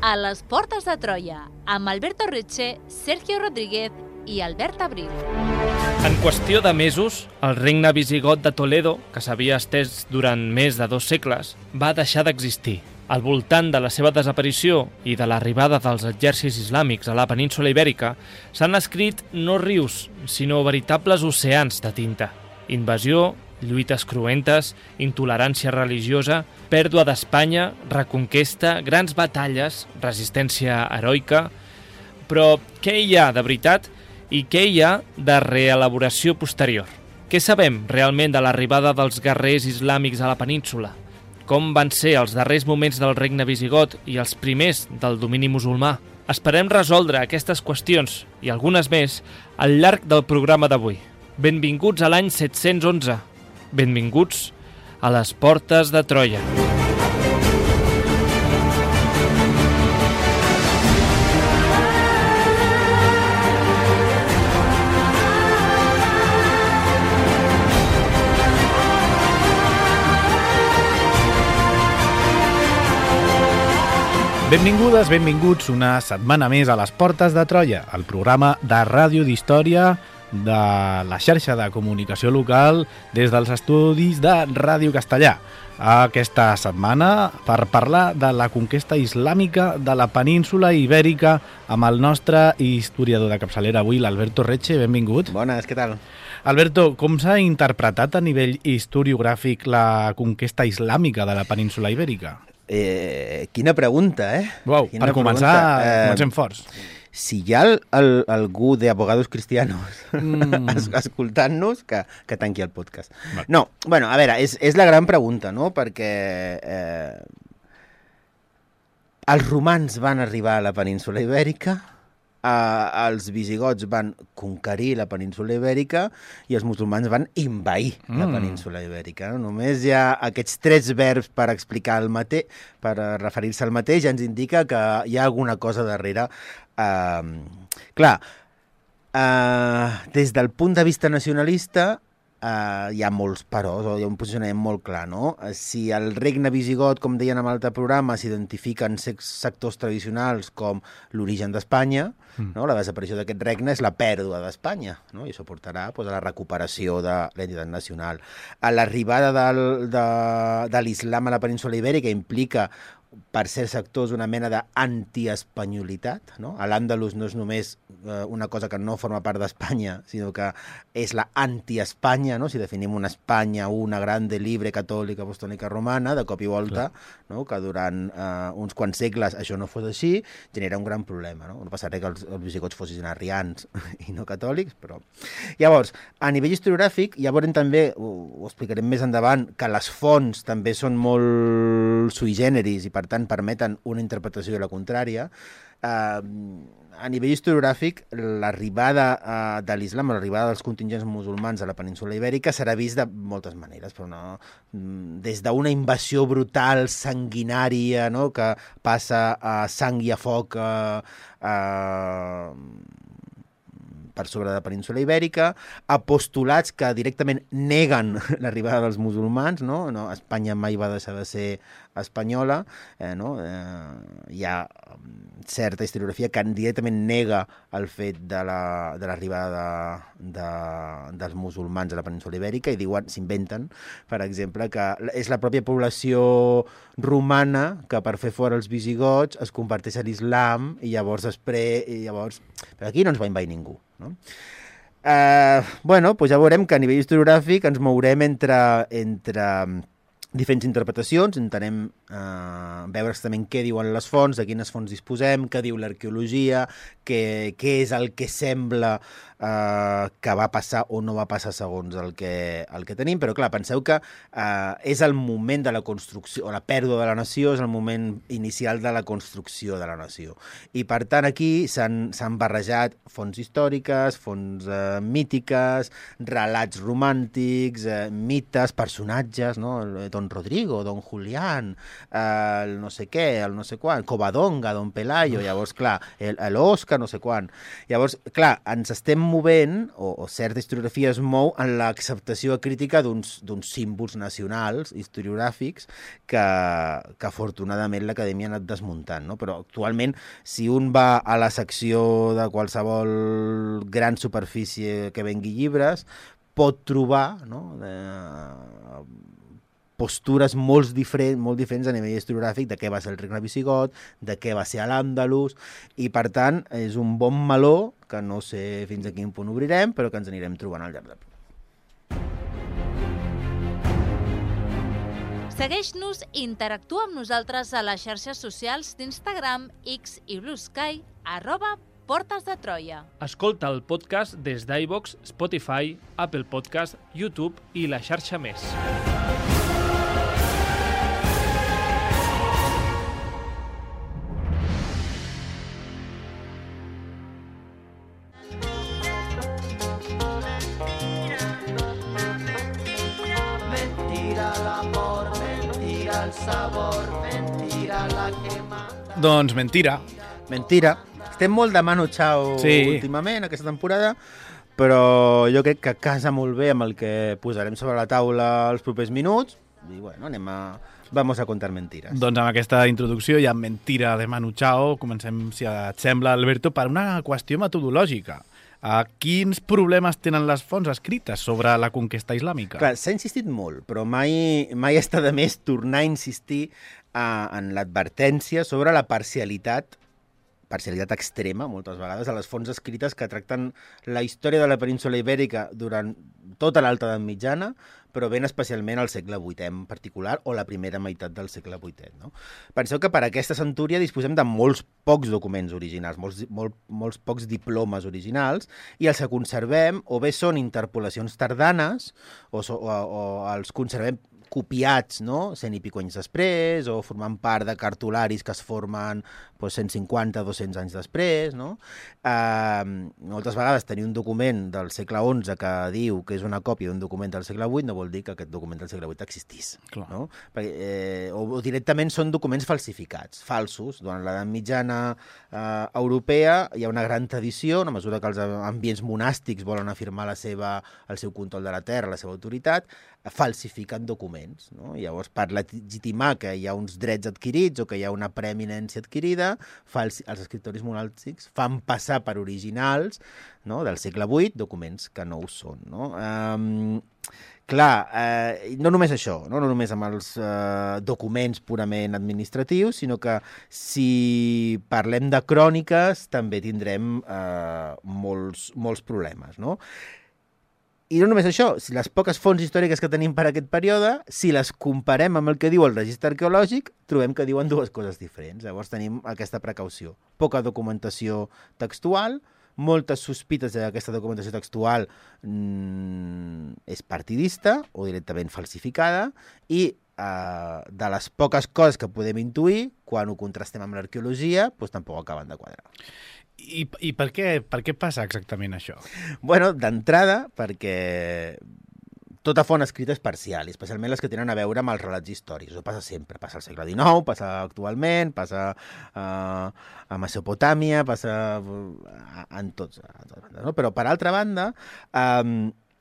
a les Portes de Troia, amb Alberto Reche, Sergio Rodríguez i Albert Abril. En qüestió de mesos, el regne visigot de Toledo, que s'havia estès durant més de 2 segles, va deixar d'existir. Al voltant de la seva desaparició i de l'arribada dels exèrcits islàmics a la península Ibèrica, s'han escrit no rius, sinó veritables oceans de tinta. Invasió, lluites cruentes, intolerància religiosa, pèrdua d'Espanya, reconquesta, grans batalles, resistència heroica... Però què hi ha de veritat i què hi ha de reelaboració posterior? Què sabem realment de l'arribada dels guerrers islàmics a la península? Com van ser els darrers moments del regne visigot i els primers del domini musulmà? Esperem resoldre aquestes qüestions i algunes més al llarg del programa d'avui. Benvinguts a l'any 711. Benvinguts a les Portes de Troia. Benvingudes, benvinguts una setmana més a les Portes de Troia, el programa de ràdio d'història de la xarxa de comunicació local des dels estudis de Ràdio Castellà. Aquesta setmana per parlar de la conquesta islàmica de la península Ibèrica amb el nostre historiador de capçalera avui, l'Alberto Reche. Benvingut. Bones, què tal? Alberto, com s'ha interpretat a nivell historiogràfic la conquesta islàmica de la península Ibèrica? Quina pregunta, Uau, quina per començar, comencem forts. Si hi ha algú d'Abogados Cristianos escoltant-nos, que tanqui el podcast. No, bueno, a veure, és la gran pregunta, no? Perquè els romans van arribar a la península Ibèrica, els visigots van conquerir la península Ibèrica i els musulmans van envair la península Ibèrica. Només hi ha aquests 3 verbs per explicar el mateix, per referir-se al mateix, ja ens indica que hi ha alguna cosa darrere. Clar, des del punt de vista nacionalista, hi ha molts peròs, o hi ha un posicionament molt clar, no? Si el regne visigot, com deien en l'altre programa, s'identifiquen sectors tradicionals com l'origen d'Espanya, no? La desaparició d'aquest regne és la pèrdua d'Espanya, no? I això portarà a la recuperació de l'entitat nacional. L'arribada de l'islam a la península Ibèrica implica per certs sectors una mena d'antiespanyolitat, no? L'Àndalus no és només una cosa que no forma part d'Espanya, sinó que és la anti-Espanya, no? Si definim una Espanya, una grande, libre, catòlica, apostòlica, romana, de cop i volta, no? Que durant uns quants segles això no fos així, genera un gran problema, no? No passa res que els visigots fossin arrians i no catòlics, però... Llavors, a nivell historiogràfic, ja veurem també, ho explicarem més endavant, que les fonts també són molt sui generis i per tant permeten una interpretació de la contrària. A nivell historiogràfic, l'arribada de l'islam, l'arribada dels contingents musulmans a la península Ibèrica serà vist de moltes maneres, però no, des d'una invasió brutal, sanguinària, no? Que passa a sang i a foc per sobre de la península Ibèrica, a postulats que directament neguen l'arribada dels musulmans, no? Espanya mai va deixar de ser espanyola, no? Hi ha certa historiografia que directament nega el fet de l'arribada dels musulmans a la península Ibèrica i diuen, s'inventen, per exemple, que és la pròpia població romana que per fer fora els visigots es converteix a l'islam i llavors però aquí no ens va invair ningú, no? Bueno, doncs ja veurem que a nivell historiogràfic ens mourem entre diferents interpretacions, intentem veure exactament què diuen les fonts, de quines fonts disposem, què diu l'arqueologia, què és el que sembla que va passar o no va passar segons el que tenim, però clar, penseu que és el moment de la construcció, o la pèrdua de la nació és el moment inicial de la construcció de la nació. I per tant aquí s'han barrejat fonts històriques, fonts mítiques, relats romàntics, mites, personatges, no? Don Rodrigo, Don Julián, el no sé què, el no sé quan, Covadonga, Don Pelayo, llavors, clar, l'Òscar, no sé quan. Llavors, clar, ens estem movent, o certa historiografia es mou en l'acceptació crítica d'uns símbols nacionals, historiogràfics, que afortunadament l'acadèmia ha anat desmuntant, no? Però actualment, si un va a la secció de qualsevol gran superfície que vengui llibres, pot trobar, no?, postures molt diferents a nivell historiogràfic de què va ser el regne visigot, de què va ser l'Àndalus, i per tant és un bon meló que no sé fins a quin punt obrirem, però que ens anirem trobant al llarg del programa. Segueix-nos i interactua amb nosaltres a les xarxes socials d'Instagram, X i Blue Sky, @Portes de Troia. Escolta el podcast des d'iVoox, Spotify, Apple Podcast, YouTube i la xarxa més. Mentira l'amor, mentira el sabor, mentira la quemada. Doncs mentira. Mentira. Estem molt de Manu Chao últimament, aquesta temporada, però jo crec que casa molt bé amb el que posarem sobre la taula els propers minuts. I bueno, vamos a contar mentiras. Doncs amb aquesta introducció i amb mentira de Manu Chao comencem, si et sembla, Alberto, per una qüestió metodològica. Quins problemes tenen les fonts escrites sobre la conquesta islàmica? Clar, s'ha insistit molt, però mai està de més tornar a insistir en l'advertència sobre la parcialitat extrema, moltes vegades, a les fonts escrites que tracten la història de la península Ibèrica durant tota l'alta edat mitjana, però ben especialment al segle VIII en particular, o la primera meitat del segle VIII. No? Penseu que per aquesta centúria disposem de molts pocs documents originals, molts pocs diplomes originals, i els que conservem o bé són interpolacions tardanes, o els conservem copiats, no?, 100 i pico anys després, o formant part de cartularis que es formen 150 o 200 anys després, no? Moltes vegades tenir un document del segle XI que diu que és una còpia d'un document del segle VIII no vol dir que aquest document del segle VIII existís. No? O directament són documents falsificats, falsos. Durant l'edat mitjana europea hi ha una gran tradició, a mesura que els ambients monàstics volen afirmar el seu control de la terra, la seva autoritat, falsifiquen documents. No? Llavors, per legitimar que hi ha uns drets adquirits o que hi ha una preeminència adquirida, els escriptoris monàstics fan passar per originals, no, del segle VIII documents que no ho són. No? No només això, no només amb els documents purament administratius, sinó que si parlem de cròniques també tindrem molts problemes, no? I no només això, si les poques fonts històriques que tenim per aquest període, si les comparem amb el que diu el registre arqueològic, trobem que diuen dues coses diferents. Llavors tenim aquesta precaució. Poca documentació textual, moltes sospites que aquesta documentació textual és partidista o directament falsificada, i de les poques coses que podem intuir, quan ho contrastem amb l'arqueologia, doncs tampoc acaben de quadrar. I per què passa exactament això? Bueno, d'entrada, perquè tota font escrita és parcial, i especialment les que tenen a veure amb els relats històrics. Això passa sempre, passa al segle XIX, passa actualment, passa a Mesopotàmia, passa en tots. No? Però, per altra banda,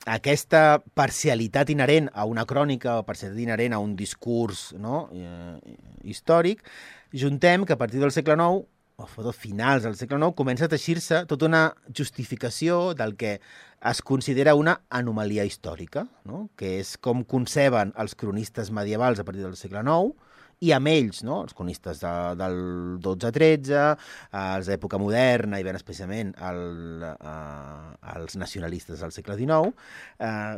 aquesta parcialitat inherent a una crònica o parcialitat inherent a un discurs, no, històric, juntem que a partir del segle IX o finals del segle IX, comença a teixir-se tota una justificació del que es considera una anomalia històrica, no? Que és com conceben els cronistes medievals a partir del segle IX, i amb ells, no? Els cronistes del 12-13, els d'època moderna i ben especialment els nacionalistes del segle XIX,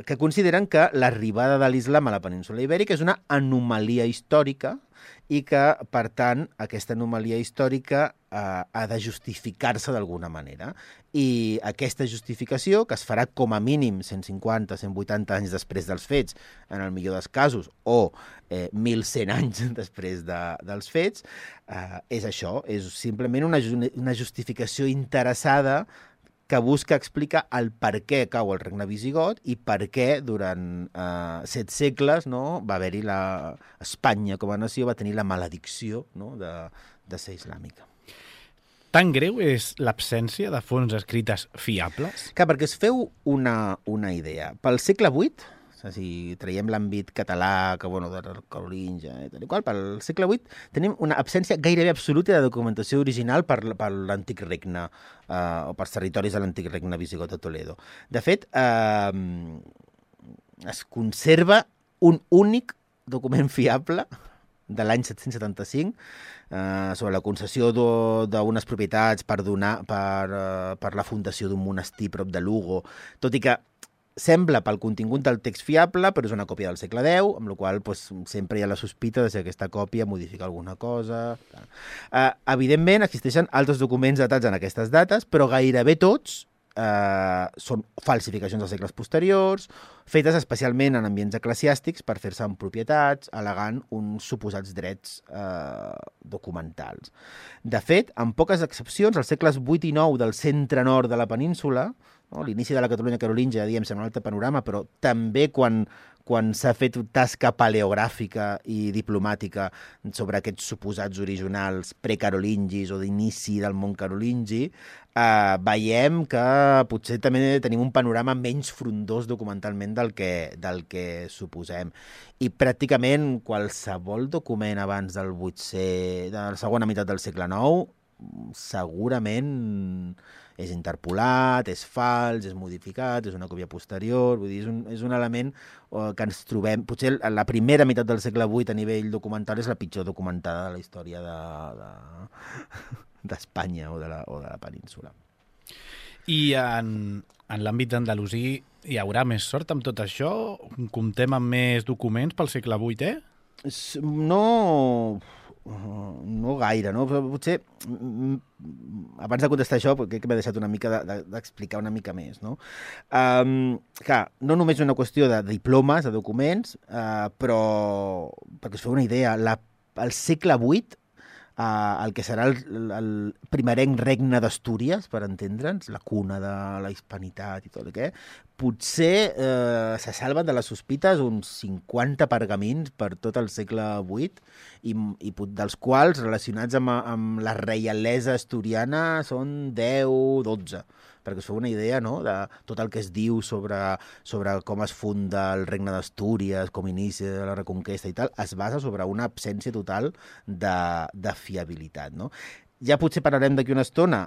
que consideren que l'arribada de l'islam a la península Ibèrica és una anomalia històrica i que, per tant, aquesta anomalia històrica ha de justificar-se d'alguna manera. I aquesta justificació, que es farà com a mínim 150, 180 anys després dels fets, en el millor dels casos, o 1.100 anys després dels fets, és això, és simplement una justificació interessada que busca explicar el per què cau el regne visigot i per què durant 7 segles, no, va haver-hi Espanya com a nació va tenir la maledicció, no, de ser islàmica. Tan greu és l'absència de fonts escrites fiables? Clar, perquè es feu una idea. Pel segle VIII, si traiem l'àmbit català, que bueno, de Carolingia i tal i qual, pel segle VIII tenim una absència gairebé absoluta de documentació original per l'antic regne, o pels territoris de l'antic regne visigot de Toledo. De fet, es conserva un únic document fiable de l'any 775 sobre la concessió d'unes propietats per la fundació d'un monestir prop de Lugo, tot i que sembla pel contingut del text fiable, però és una còpia del segle X, amb la qual cosa sempre hi ha la sospita de si aquesta còpia modifica alguna cosa. Evidentment, existeixen altres documents datats en aquestes dates, però gairebé tots són falsificacions dels segles posteriors, fetes especialment en ambients eclesiàstics per fer-se amb propietats, al·legant uns suposats drets documentals. De fet, amb poques excepcions, als segles VIII i IX del centre-nord de la península, no? L'inici de la Catalunya carolíngia, diem, sembla un altre panorama, però també quan s'ha fet tasca paleogràfica i diplomàtica sobre aquests suposats originals precarolingis o d'inici del món carolingi, veiem que potser també tenim un panorama menys frondós documentalment del que suposem. I pràcticament qualsevol document abans del 800, de la segona meitat del segle IX, segurament és interpolat, és fals, és modificat, és una còpia posterior, vull dir, és un element que ens trobem... Potser la primera meitat del segle VIII a nivell documental és la pitjor documentada de la història d'Espanya o de la península. I en l'àmbit andalusí hi haurà més sort amb tot això? Comptem amb més documents pel segle VIII? No gaire, no? Però potser, abans de contestar això, crec que m'he deixat una mica d'explicar una mica més, no? Clar, no només una qüestió de diplomes, de documents, però, perquè us feu una idea, al segle VIII, el que serà el primerenc regne d'Astúries, per entendre'ns, la cuna de la hispanitat i tot el que, potser se salven de les sospites uns 50 pergamins per tot el segle VIII i dels quals, relacionats amb la reialesa asturiana, són 10-12, perquè us feu una idea, no?, de tot el que es diu sobre com es funda el regne d'Astúries, com inicia la Reconquesta i tal, es basa sobre una absència total de fiabilitat, no? Ja potser parlarem d'aquí una estona,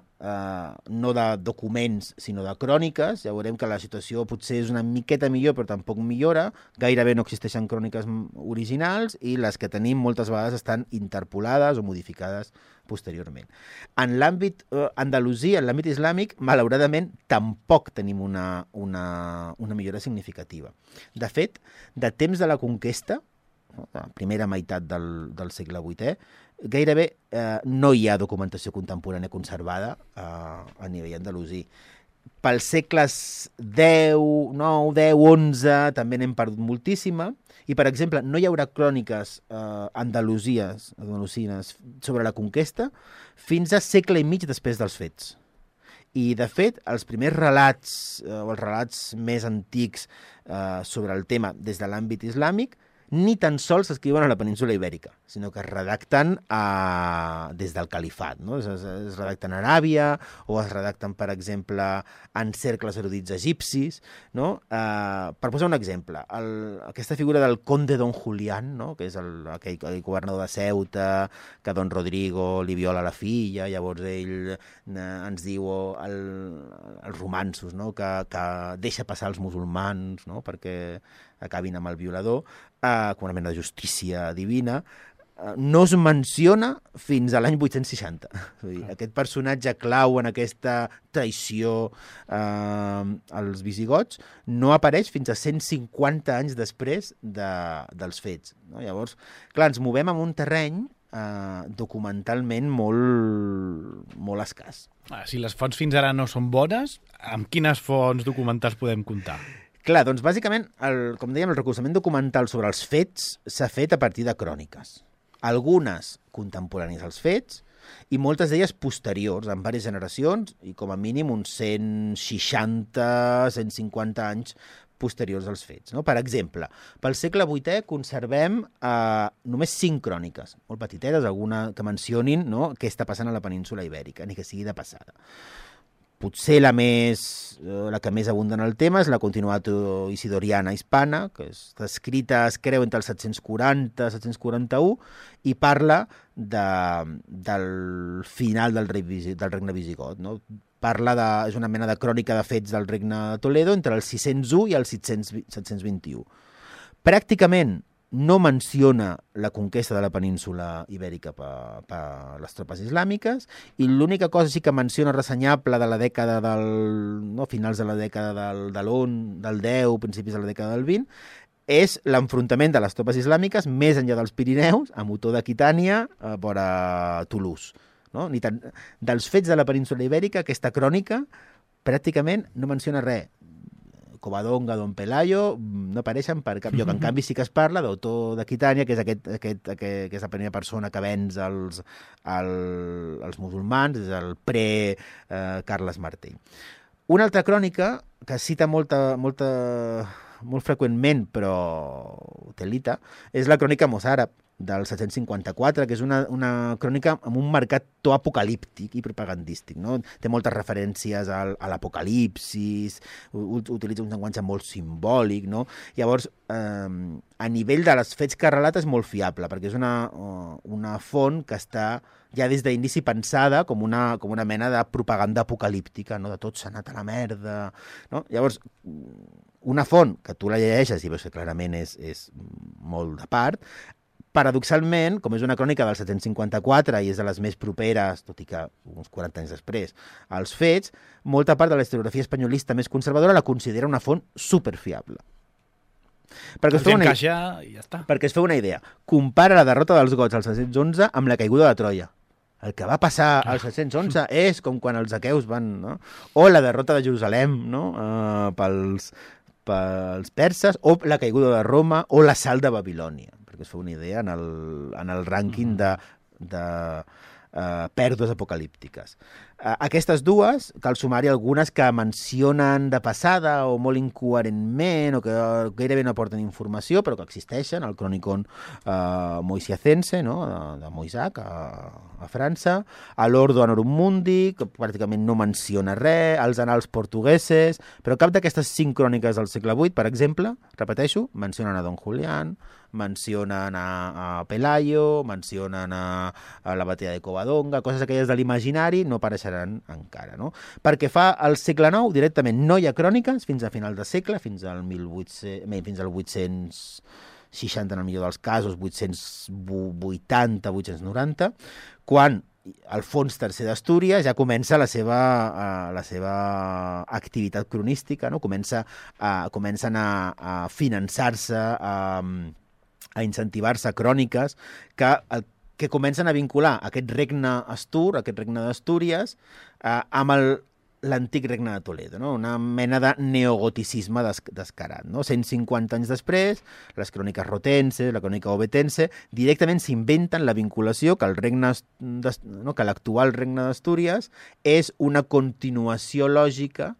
no de documents, sinó de cròniques. Ja veurem que la situació potser és una miqueta millor, però tampoc millora. Gairebé no existeixen cròniques originals i les que tenim moltes vegades estan interpolades o modificades posteriorment. En l'àmbit andalusí, en l'àmbit islàmic, malauradament, tampoc tenim una millora significativa. De fet, de temps de la conquesta, la primera meitat del segle VIII, gairebé no hi ha documentació contemporània conservada a nivell andalusí. Pels segles X, IX, X, XI també n'hem perdut moltíssima i, per exemple, no hi haurà cròniques andalusines sobre la conquesta fins a segle i mig després dels fets. I, de fet, els primers relats o els relats més antics sobre el tema des de l'àmbit islàmic ni tan sols s'escriuen a la península Ibèrica, sinó que es redacten des del califat, no? Es redacten a Aràbia o es redacten, per exemple, en cercles erudits egipcis, no? Per posar un exemple, aquesta figura del conde Don Julián, no?, que és aquell governador de Ceuta, que Don Rodrigo li viola la filla, llavors ell ens diu als romanços, no?, que deixa passar els musulmans, no?, perquè acabin amb el violador, com una mena de justícia divina, no es menciona fins a l'any 860. Aquest personatge clau en aquesta traïció als visigots no apareix fins a 150 anys després dels fets. Llavors, clar, ens movem en un terreny documentalment molt escàs. Si les fonts fins ara no són bones, amb quines fonts documentals podem comptar? Clar, doncs bàsicament, com dèiem, el recolzament documental sobre els fets s'ha fet a partir de cròniques. Algunes contemporànies als fets, i moltes d'elles posteriors, en diverses generacions, i com a mínim uns 160, 150 anys posteriors als fets. No? Per exemple, pel segle VIII conservem només 5 cròniques, molt petiteres, alguna que mencionin, no?, què està passant a la península ibèrica, ni que sigui de passada. Potser la que més abunda en el tema és la Continuatio Isidoriana Hispana, que està escrita, es creu, entre el 740 i 741, i parla del final del regne visigot, no? És una mena de crònica de fets del regne de Toledo entre el 601 i el 721. Pràcticament no menciona la conquesta de la península ibèrica per les tropes islàmiques, i l'única cosa sí que menciona ressenyable de la dècada finals de la dècada del 10, principis de la dècada del 20, és l'enfrontament de les tropes islàmiques més enllà dels Pirineus, a Motó d'Aquitània, vora Toulouse. No? Dels fets de la península ibèrica, aquesta crònica pràcticament no menciona res. Covadonga, Don Pelayo, no apareixen per cap lloc. En canvi, sí que es parla d'Otó d'Aquitània, que és la primera persona que venç els musulmans, és el pre-Carles Martell. Una altra crònica que cita molt freqüentment, però telita, és la crònica mossàrab, del 754, que és una crònica amb un marcat to apocalíptic i propagandístic, no? Té moltes referències a l'apocalipsis, utilitza un llenguatge molt simbòlic, no? Llavors, a nivell de les fets que relata és molt fiable, perquè és una font que està ja des d'inici pensada com una mena de propaganda apocalíptica, no? De tot s'ha anat a la merda, no? Llavors, una font que tu la llegeixes i veus que clarament és molt de part, paradoxalment, com és una crònica del 754 i és de les més properes, tot i que uns 40 anys després, als fets, molta part de la historiografia espanyolista més conservadora la considera una font superfiable. Perquè es feu una idea. Compara la derrota dels gots al 711 amb la caiguda de Troia. El que va passar al 711 és com quan els aqueus van... No? O la derrota de Jerusalem, no? Pels perses, o la caiguda de Roma, o l'assalt de Babilònia, perquè es fa una idea en el rànquing de pèrdues apocalíptiques. Aquestes dues, cal sumar-hi algunes que mencionen de passada o molt incoherentment o que gairebé no aporten informació, però que existeixen, el Chronicon Moisiacense, no? De Moissac, a França, l'Ordo Anorum Mundi, que pràcticament no menciona res, els Annals Portugueses, però cap d'aquestes 5 cròniques del segle VIII, per exemple, repeteixo, mencionen a Don Julián, mencionen a Pelayo, mencionen a la batalla de Covadonga, coses aquelles de l'imaginari no apareixeran encara, no? Perquè fa al segle IX directament no hi ha cròniques fins a final de segle, fins al 860 en el millor dels casos, 880, 890, quan Alfons III d'Astúries ja comença la seva activitat cronística, no? Comencen a finançar-se, a incentivar-se cròniques que comencen a vincular aquest regne astur, aquest regne d'Astúries, amb l'antic regne de Toledo, no? Una mena de neogoticisme descarat, no? 150 anys després, les cròniques rotenses, la crònica ovetense, directament s'inventen la vinculació que que l'actual regne d'Astúries és una continuació lògica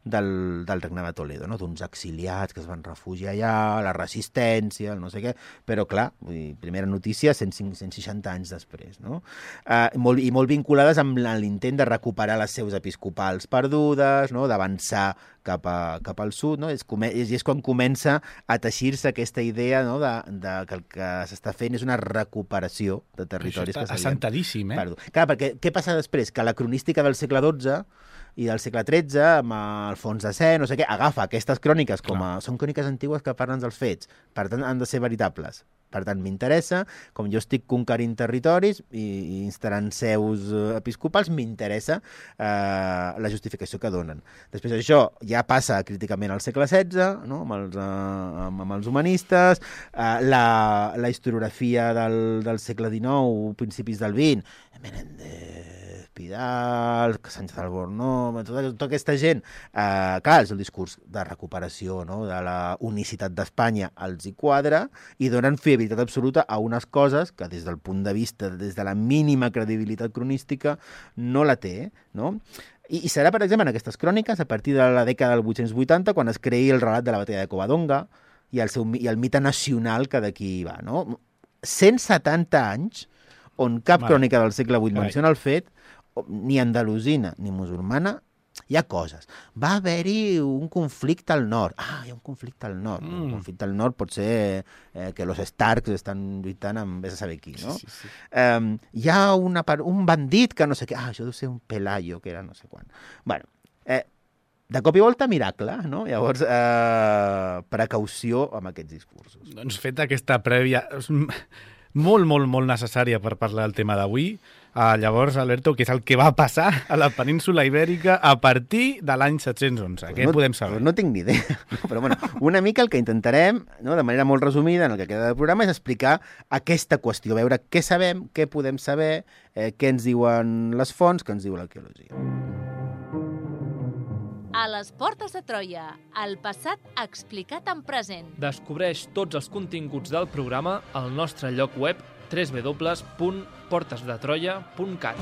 del regne de Toledo, no? D'uns exiliats que es van refugiar allà, la resistència, el no sé què, però clar, primera notícia 160 anys després, no? I molt vinculades amb l'intent de recuperar les seus episcopals perdudes, no? D'avançar cap al sud, no? És quan comença a teixir-se aquesta idea, no? Que el que s'està fent és una recuperació de territoris que s'havien assentadíssim, Clar, perquè què passa després? Que la cronística del segle XII i del segle XIII, amb Alfons X, no sé què, agafa aquestes cròniques són cròniques antigues que parlen dels fets, per tant han de ser veritables. Per tant, m'interessa, com jo estic conquerint territoris i instal·lant seus episcopals, m'interessa la justificació que donen. Després això ja passa críticament al segle XVI, no? amb els humanistes, la historiografia del segle XIX, principis del XX, Menéndez, Pidal, Sánchez Albornoz, tota aquesta gent, clar, és el discurs de recuperació, no? De la unicitat d'Espanya, els hi quadra i donen fiabilitat credibilitat absoluta a unes coses que des del punt de vista, des de la mínima credibilitat cronística, no la té, no? I serà, per exemple, en aquestes cròniques, a partir de la dècada del 880, quan es creï el relat de la batalla de Covadonga i el mite nacional que d'aquí va, no? 170 anys on cap crònica del segle VIII menciona el fet, ni andalusina ni musulmana, hi ha coses. Va haver-hi un conflicte al nord. Hi ha un conflicte al nord. Un conflicte al nord pot ser que los Starks estan lluitant amb vés a saber qui, no? Sí. Hi ha un bandit que no sé què. Això deu ser un Pelayo, que era no sé quan. Bueno, de cop i volta, miracle, no? Llavors, precaució amb aquests discursos. Doncs feta aquesta prèvia molt, molt, molt necessària per parlar del tema d'avui, llavors, Alberto, què és el que va passar a la península Ibèrica a partir de l'any 711? Què podem saber? No tinc ni idea, però bueno, una mica el que intentarem, no, de manera molt resumida, en el que queda del programa, és explicar aquesta qüestió, veure què sabem, què podem saber, què ens diuen les fonts, què ens diu l'arqueologia. A les portes de Troia, el passat explicat en present. Descobreix tots els continguts del programa al nostre lloc web www.portesdetroia.cat.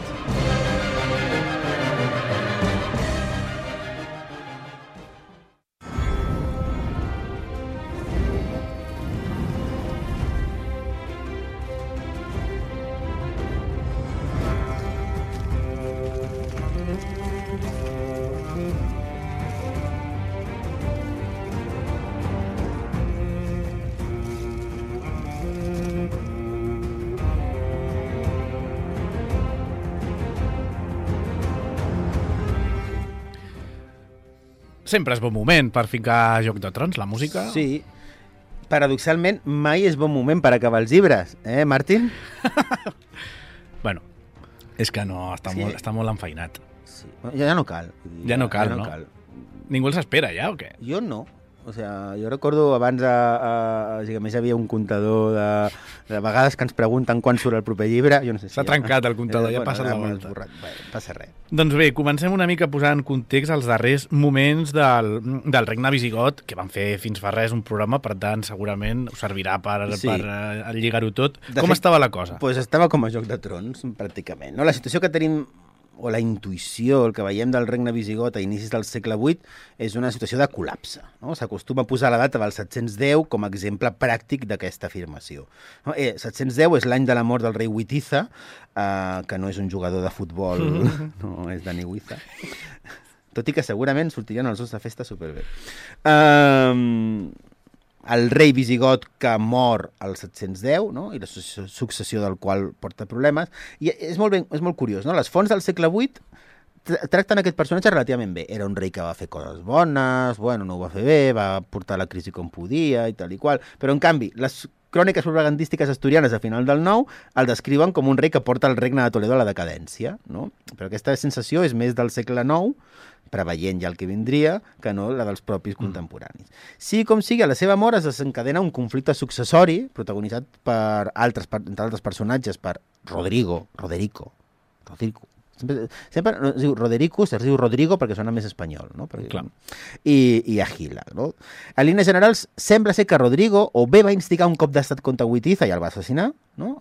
Sempre és bon moment per ficar Joc de Trons, la música. Sí. Paradoxalment, mai és bon moment per acabar els llibres, Martín? Bueno, és que no, està molt enfeinat. Sí. Ja no cal. Ja no cal, no? Ningú els espera ja, o què? Jo no. O sigui, jo recordo abans, a més hi havia un comptador de vegades que ens pregunten quan surt el proper llibre. Jo no sé si s'ha trencat el comptador, ja ha passat la volta. Bé, passa res. Doncs bé, comencem una mica posant en context els darrers moments del regne visigot, que van fer fins fa res un programa, per tant, segurament us servirà per lligar-ho tot. Com estava la cosa? Doncs estava com a Joc de Trons, pràcticament. No? La situació que tenim, o la intuïció, el que veiem del regne visigot a inicis del segle VIII, és una situació de col·lapse. No? S'acostuma a posar la data del 710 com a exemple pràctic d'aquesta afirmació. No? 710 és l'any de la mort del rei Witiza, que no és un jugador de futbol, no és Dani Huiza, tot i que segurament sortirien els dos de festa superbé. El rei visigot que mor al 710, no? I la successió del qual porta problemes. I és molt curiós, no? Les fonts del segle VIII tracten aquest personatge relativament bé. Era un rei que va fer coses bones, no ho va fer bé, va portar la crisi com podia i tal i qual, però en canvi, les cròniques propagandístiques asturianes a final del IX el descriuen com un rei que porta el regne de Toledo a la decadència, no? Però aquesta sensació és més del segle IX, preveient ja el que vindria, que no la dels propis contemporanis. Sí com sigui, a la seva mort es desencadena un conflicte successori protagonitzat per entre altres personatges, per Rodrigo. Sempre es diu Roderico, es diu Rodrigo perquè sona més espanyol, no? I Agila, no? En línies generals, sembla ser que Rodrigo o bé va instigar un cop d'estat contra Witiza i el va assassinar, no?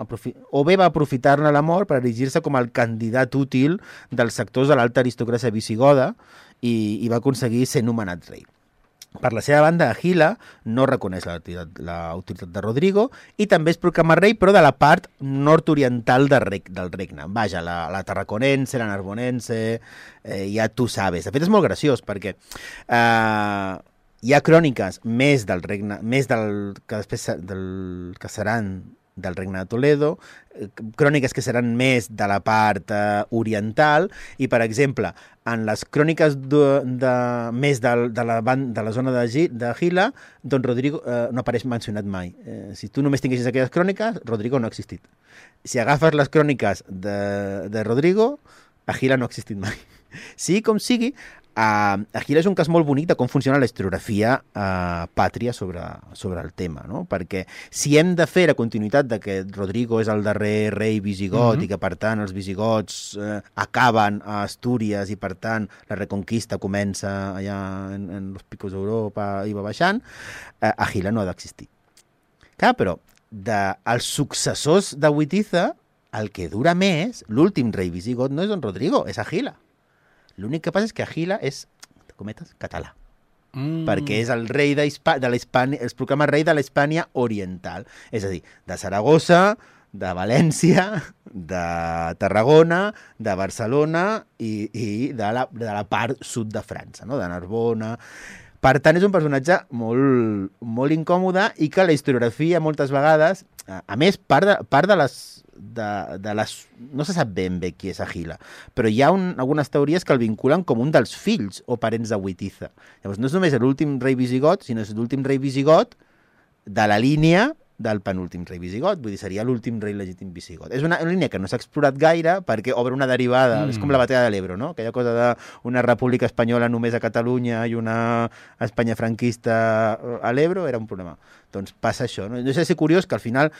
O bé va aprofitar-ne la mort per erigir-se com el candidat útil dels sectors de l'alta aristocràcia visigoda i va aconseguir ser nomenat rei. Per la seva banda, Agila no reconeix l'autoritat de Rodrigo i també es proclama rei, però de la part nord-oriental del regne. Vaja, la tarraconense, la narbonense, ja tu sabes. De fet, és molt graciós, perquè hi ha cròniques més del regne, més del que després que seran del regne de Toledo, cròniques que seran més de la part oriental, i, per exemple, en les cròniques més de la zona d'Agila, doncs Rodrigo no apareix mencionat mai. Si tu només tinguessis aquelles cròniques, Rodrigo no ha existit. Si agafes les cròniques de Rodrigo, Agila no ha existit mai. Sí com sigui, Agila és un cas molt bonic de com funciona la historiografia pàtria sobre el tema, no? Perquè si hem de fer la continuïtat de que Rodrigo és el darrer rei visigot i que, per tant, els visigots acaben a Astúries i, per tant, la reconquista comença allà en los picos d'Europa i va baixant, Agila no ha d'existir. Clar, però dels successors de Witiza, el que dura més, l'últim rei visigot, no és Don Rodrigo, és Àguila. L'únic que passa és que Àguila és, entre cometes, català. Perquè és el rei es proclama rei de l'Hispània oriental. És a dir, de Saragossa, de València, de Tarragona, de Barcelona i de la part sud de França, no? De Narbona. Per tant, és un personatge molt, molt incòmode i que la historiografia moltes vegades, a més, part de les no se sap ben bé qui és Àguila, però hi ha algunes teories que el vinculen com un dels fills o parents de Witiza. Llavors, no és només l'últim rei visigot, sinó és l'últim rei visigot de la línia del penúltim rei visigot, vull dir, seria l'últim rei legítim visigot. És una línia que no s'ha explorat gaire perquè obre una derivada, és com la batalla de l'Ebro, no? Aquella cosa d'una república espanyola només a Catalunya i una Espanya franquista a l'Ebro era un problema. Doncs passa això, no? No sé si és curiós que al final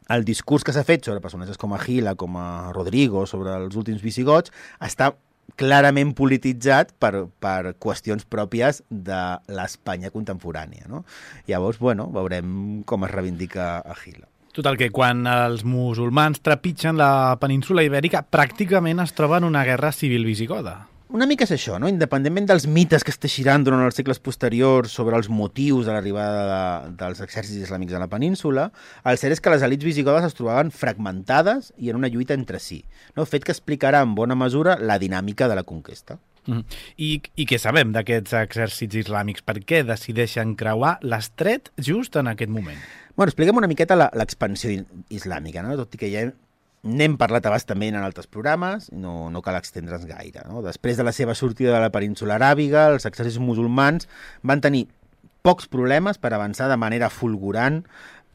el discurs que s'ha fet sobre personatges com Àguila, com a Rodrigo, sobre els últims visigots, està clarament polititzat per qüestions pròpies de l'Espanya contemporània, no? Llavors, bueno, veurem com es reivindica Àguila. Total, que quan els musulmans trepitgen la península ibèrica, pràcticament es troben una guerra civil visigoda. Una mica és això, no? Independentment dels mites que es teixiran durant els segles posteriors sobre els motius de l'arribada dels exèrcits islàmics a la península, el cert és que les elits visigodes es trobaven fragmentades i en una lluita entre si, no? Fet que explicarà en bona mesura la dinàmica de la conquesta. I què sabem d'aquests exèrcits islàmics? Per què decideixen creuar l'estret just en aquest moment? Bueno, expliquem una miqueta l'expansió islàmica, no? Tot i que ja n'hem parlat abastament en altres programes, no cal extendre's gaire, no? Després de la seva sortida de la península aràbiga, els exèrcits musulmans van tenir pocs problemes per avançar de manera fulgurant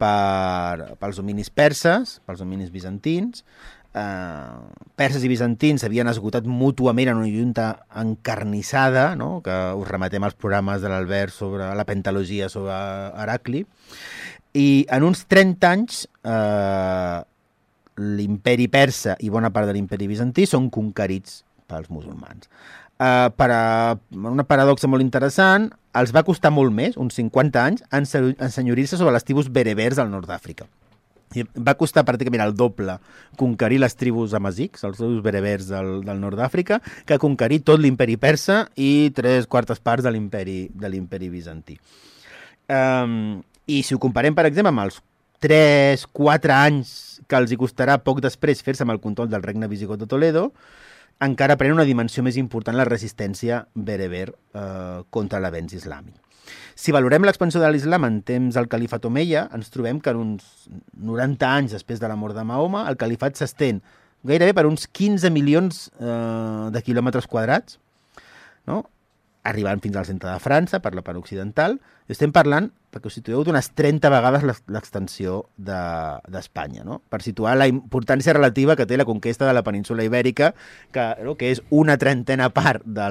pels dominis perses, pels dominis bizantins. Perses i bizantins havien esgotat mútuament en una lluita encarnissada, no? Que us remetem als programes de l'Albert sobre la pentalogia sobre Heracli. I en uns 30 anys l'imperi persa i bona part de l'imperi bizantí són conquerits pels musulmans. Una paradoxa molt interessant, els va costar molt més, uns 50 anys, ensenyorir-se sobre les tribus berebers del nord d'Àfrica. I va costar pràcticament el doble conquerir les tribus amazics, els tribus berebers del nord d'Àfrica, que conquerir tot l'imperi persa i 3/4 parts de l'imperi bizantí. I si ho comparem, per exemple, amb els 3-4 anys que els hi costarà poc després fer-se amb el control del regne visigot de Toledo, encara pren una dimensió més important la resistència bereber contra l'avenç islàmic. Si valorem l'expansió de l'islam en temps del califat omeia, ens trobem que en uns 90 anys després de la mort de Mahoma, el califat s'estén gairebé per uns 15 milions de quilòmetres quadrats, no? Arribant fins al centre de França, per la part occidental, i estem parlant, perquè us situeu, d'unes 30 vegades l'extensió d'Espanya, no? Per situar la importància relativa que té la conquesta de la península ibèrica, que és una 30ena part de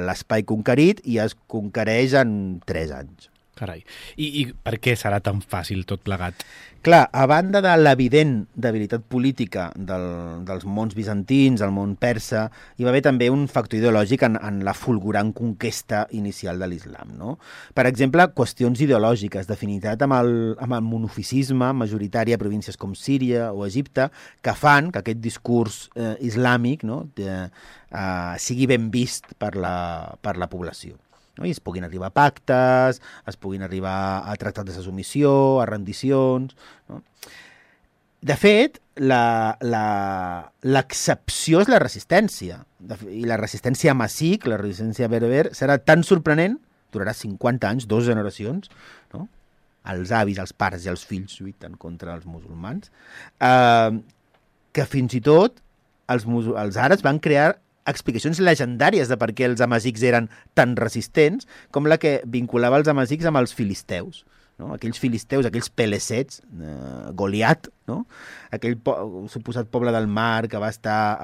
l'espai conquerit i es conquereix en 3 anys. Carai. I per què serà tan fàcil tot plegat? Clar, a banda de l'evident debilitat política dels mons bizantins, el món persa, hi va haver també un factor ideològic en la fulgurant conquesta inicial de l'islam, no? Per exemple, qüestions ideològiques d'afinitat amb el monofisisme majoritari a províncies com Síria o Egipte, que fan que aquest discurs islàmic, no, sigui ben vist per la població. No? I es puguin arribar a pactes, es puguin arribar a tractats de submissió, a rendicions, no? De fet, l'excepció és la resistència. I la resistència amazic, la resistència berber, serà tan sorprenent, durarà 50 anys, 2 generacions, no? Els avis, els pares i els fills lluiten contra els musulmans, que fins i tot els àrabs van crear explicacions legendàries de per què els amazics eren tan resistents, com la que vinculava els amazics amb els filisteus, no? Aquells filisteus, aquells pelesets, Goliat, no? Aquell suposat poble del mar que va estar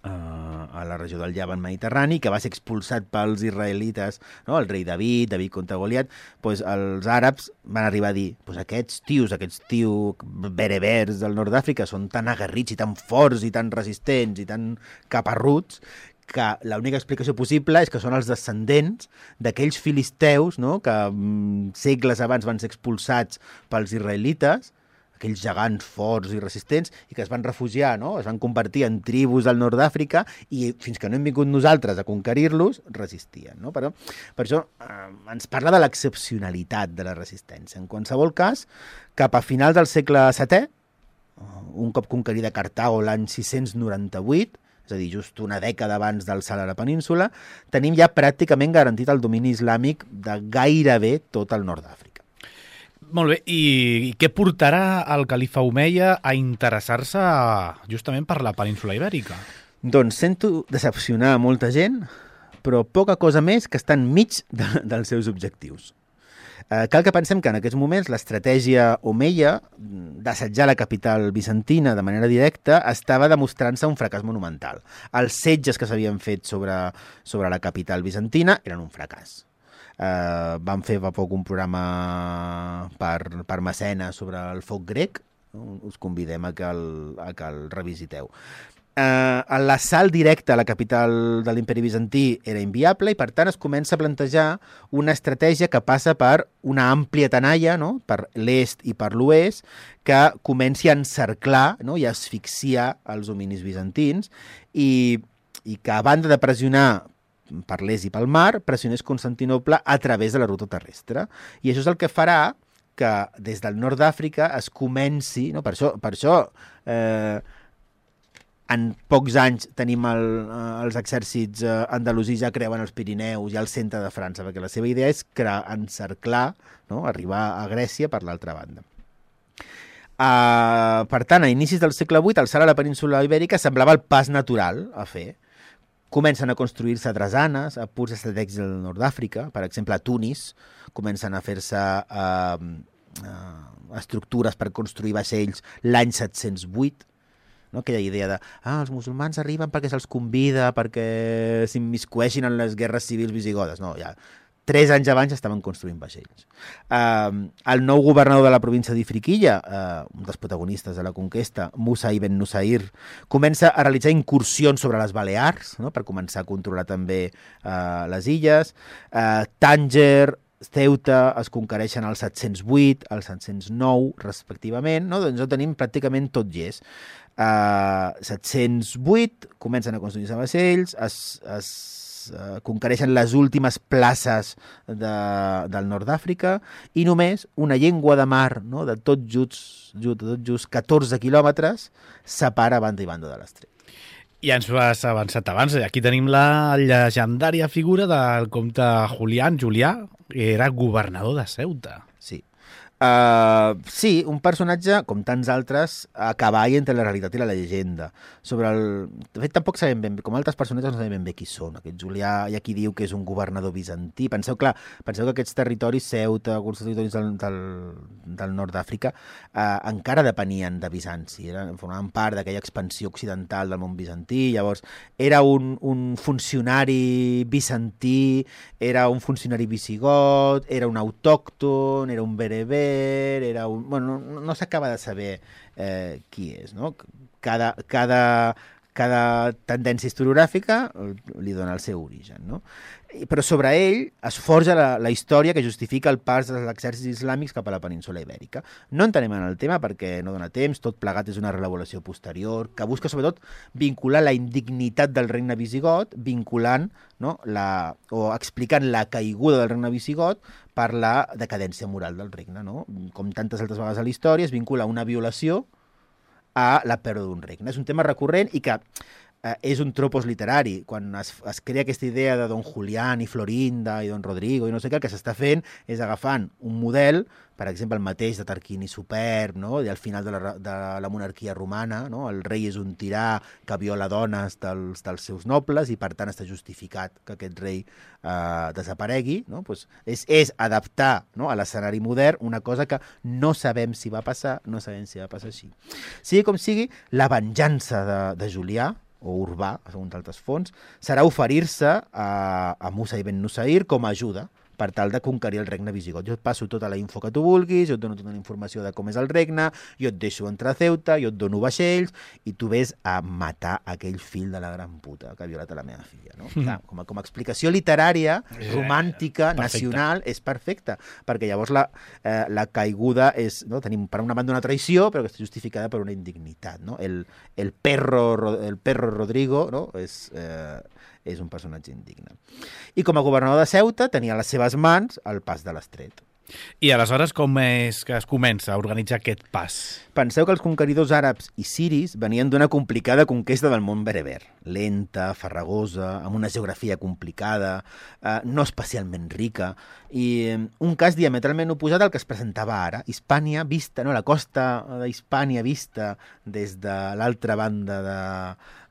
a la regió del Llevant mediterrani, que va ser expulsat pels israelites, no? El rei David contra Goliat, doncs els àrabs van arribar a dir, doncs aquests tios berebers del nord d'Àfrica són tan aguerrits i tan forts i tan resistents i tan caparruts que l'única explicació possible és que són els descendents d'aquells filisteus, no?, que segles abans van ser expulsats pels israelites, aquells gegants forts i resistents, i que es van refugiar, no?, es van convertir en tribus del nord d'Àfrica i fins que no hem vingut nosaltres a conquerir-los, resistien, no? Però per això ens parla de l'excepcionalitat de la resistència. En qualsevol cas, cap a finals del segle VII, un cop conquerida Cartago l'any 698, és a dir, just una dècada abans del salt a la península, tenim ja pràcticament garantit el domini islàmic de gairebé tot el nord d'Àfrica. Molt bé, i què portarà el califa Omeia a interessar-se justament per la península ibèrica? Doncs sento decepcionar molta gent, però poca cosa més que està enmig dels seus objectius. Cal que pensem que en aquests moments l'estratègia Omeia d'assetjar la capital bizantina de manera directa estava demostrant-se un fracàs monumental. Els setges que s'havien fet sobre la capital bizantina eren un fracàs. Van fer fa poc un programa per Mecenes sobre el foc grec, us convidem a que el revisiteu. L'assalt directe a la capital de l'imperi bizantí era inviable i per tant es comença a plantejar una estratègia que passa per una àmplia tenalla, no?, per l'est i per l'oest, que comenci a encerclar, no?, i a asfixiar els dominis bizantins i que a banda de pressionar per l'est i pel mar, pressionés Constantinoble a través de la ruta terrestre. I això és el que farà que des del nord d'Àfrica es comenci, no?, per això en pocs anys tenim els exèrcits andalusí ja creuen els Pirineus i el centre de França, perquè la seva idea és encerclar, no?, arribar a Grècia per l'altra banda. Per tant, a inicis del segle VIII, el salt a la península ibèrica semblava el pas natural a fer. Comencen a construir-se drasanes a punts estratègics del nord d'Àfrica, per exemple a Tunis, comencen a fer-se estructures per construir vaixells l'any 708, no? Aquella idea de els musulmans arriben perquè se'ls convida, perquè s'immiscueixin en les guerres civils visigodes. No, ja 3 anys abans estaven construint vaixells. El nou governador de la província d'Ifriquilla, un dels protagonistes de la conquesta, Musa ibn Nusair, comença a realitzar incursions sobre les Balears, no?, per començar a controlar també les illes. Tànger, Ceuta es conquereixen al 708, al 709, respectivament, no? Doncs ho tenim pràcticament tot llest. 708 comencen a construir-se vaixells, es conquereixen les últimes places del nord d'Àfrica i només una llengua de mar, no?, de tot just 14 quilòmetres separa banda i banda de l'estret. Ja ens ho has avançat abans. Aquí tenim la llegendària figura del comte Julià, que era governador de Ceuta. Sí. Sí, un personatge, com tants altres, a cavall entre la realitat i la llegenda. De fet, tampoc sabem ben bé, com altres personatges no sabem ben bé qui són. Aquest Julià, hi ha qui diu que és un governador bizantí. Penseu que aquests territoris, Ceuta, alguns territoris del nord d'Àfrica, encara depenien de Bizanci, formaven part d'aquella expansió occidental del món bizantí. Llavors, era un funcionari bizantí, era un funcionari visigot, era un autòcton, era un bereber, bueno, no s'acaba de saber qui és, no? Cada tendència historiogràfica li dona el seu origen, no? Però sobre ell es forja la història que justifica el pas dels exèrcits islàmics cap a la península ibèrica. No entenem en el tema perquè no dona temps, tot plegat és una reelaboració posterior que busca sobretot vincular la indignitat del regne visigot, vinculant, no, o explicant la caiguda del regne visigot per la decadència moral del regne, no? Com tantes altres vegades a la història, es vincula una violació a la pèrdua d'un regne. És un tema recurrent i que és un tropos literari. Quan es crea aquesta idea de Don Julián i Florinda i Don Rodrigo i no sé què, el que s'està fent és agafant un model, per exemple el mateix de Tarquini Superb, no?, i al final de la monarquia romana, no?, el rei és un tirà que viola dones dels seus nobles i per tant està justificat que aquest rei desaparegui, no? Pues és adaptar, no?, a l'escenari modern una cosa que no sabem si va passar, no sabem si va passar així. Sigui com sigui, la venjança de Julià, o Urbà, segons altres fonts, serà oferir-se a Musa ibn Nusair com a ajuda per tal de conquerir el regne visigot. Jo et passo tota la info que tu vulguis, jo et dono tota la informació de com és el regne, jo et deixo entrar a Ceuta, jo et dono vaixells, i tu ves a matar aquell fill de la gran puta que ha violat a la meva filla. No? Clar, com a explicació literària, romàntica, nacional, és perfecta, perquè llavors la caiguda és... No? Tenim per una banda una traïció, però que està justificada per una indignitat. No? El perro Rodrigo, no? És un personatge indigne. I com a governador de Ceuta tenia a les seves mans el pas de l'Estret. I aleshores com és que es comença a organitzar aquest pas? Penseu que els conqueridors àrabs i siris venien d'una complicada conquesta del món bereber. Lenta, farragosa, amb una geografia complicada, no especialment rica, i un cas diametralment oposat al que es presentava ara. Hispània vista, la costa d'Hispània vista des de l'altra banda